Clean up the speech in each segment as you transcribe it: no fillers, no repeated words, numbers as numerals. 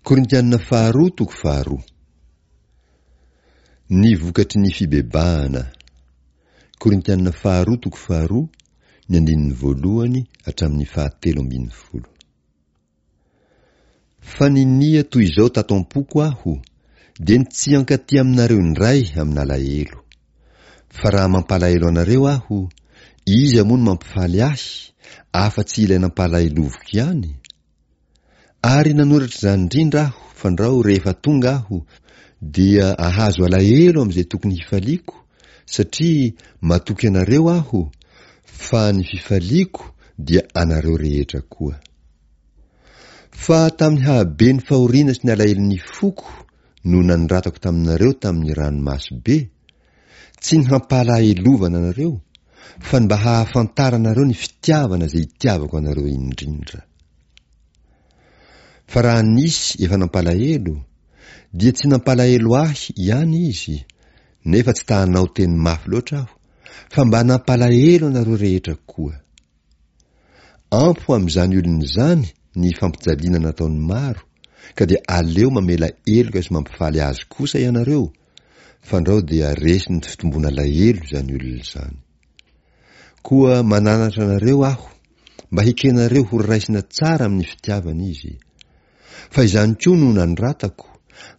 Korintiana faharoa toko faharoa. Ny vokatry ny fibebahana. Korintiana faharoa toko faharoa, ny andininy voalohany hatramin'ny fahatelo ambin'ny folo. Fa ninia toy izao tato am-poko aho, dia ny tsy hankaty aminareo indray amin'alahelo. Fa raha mampalahelo anareo aho, iza moa no mampifaly ahy, afa-tsy ilay nampalaheloviko ihany? Ary nanoratra izany indrindra aho fandrao rehefa tonga aho dia ahazo alahelo amin'izay tokony hifaliako satria matoky anareo aho fa ny fifaliako dia anareo rehetra koa. Fa tamin'ny hahabe ny fahoriana sy ny alahelon'ny foko no nanoratako taminareo tamin'ny ranomaso be, tsy ny hampalahelovana anareo fa ny mba hahafantaranareo ny fitiavana izay itiavako anareo indrindra. Fa raha nisy efa nampalahelo, dia tsy nampalahelo ahy ihany izy, nefa tsy ta-hanao teny mafy loatra aho, fa mba nampalahelo anareo rehetra koa. Ampy ho amin'izany olona izany ny fampijaliana nataon'ny maro, ka dia aleo mamela heloka sy mampifaly azy kosa ianareo, fandrao dia resin'ny fitomboan'alahelo izany olona izany. Koa mananatra anareo aho mba hekenareo ho raisina tsara amin'ny fitiavana izy. Fa izany koa no nanoratako,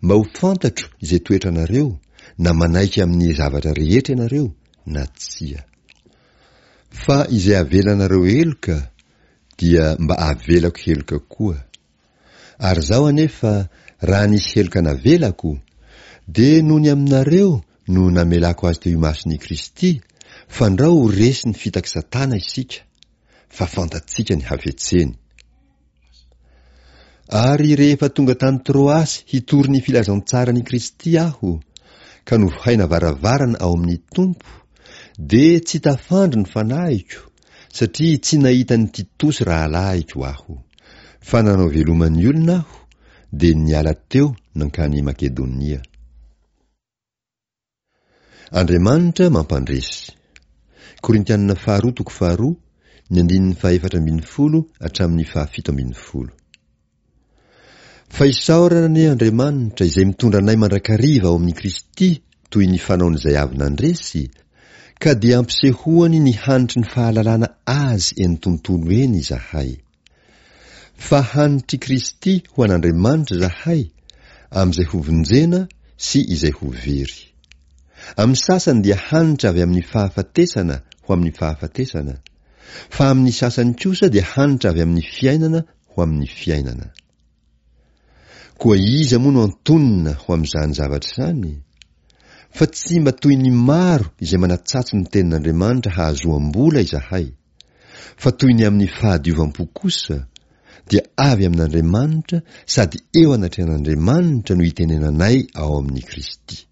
mba ho fantatro izay toetranareo, na manaiky amin'ny zavatra rehetra ianareo na tsia. Fa izay avelanareo heloka dia mba avelako heloka koa. Ary izaho anefa, raha nisy heloka navelako, dia noho ny aminareo no namelako azy teo imason'i Kristy, fandrao ho resin'ny fitak'i Satana isika, fa fantatsika ny hafetseny. Ary rehefa tonga tany Troasy hitory ny filazantsaran'i Kristy aho, ka novohaina varavarana ao amin'ny Tompo, dia tsy tafandry ny fanahiko, satria tsy nahita an'i Titosy rahalahiko aho. Fa nanao veloma ny olona aho, dia niala teo nankany Makedonia. Andriamanitra mampandresy. Korintianina faharoa toko faharoa, ny andininy fahefatra ambin'ny folo hatramin'ny fahafito ambin'ny folo. Fa isaorana anie Andriamanitra izay mitondra anay mandrakariva ao amin'i Kristy toy ny fanaon'izay avy nandresy, ka dia ampisehoany ny hanitry ny fahalalana Azy eny tontolo eny izahay. Fa hanitr'i Kristy ho an'Andriamanitra izahay amin'izay hovonjena sy izay ho very. Amin'ny sasany dia hanitra avy amin'ny fahafatesana ho amin'ny fahafatesana, fa amin'ny sasany kosa dia hanitra avy amin'ny fiainana ho amin'ny fiainana. Koa iza moa no antonona ho amin'izany zavatra izany? Fa tsy mba toy ny maro izay manatsatso ny tenin'Andriamanitra hahazoam-bola izahay, fa toy ny amin'ny fahadiovam-po kosa, dia avy amin'Andriamanitra sady eo anatrehan'Andriamanitra no itenenanay ao amin'i Kristy.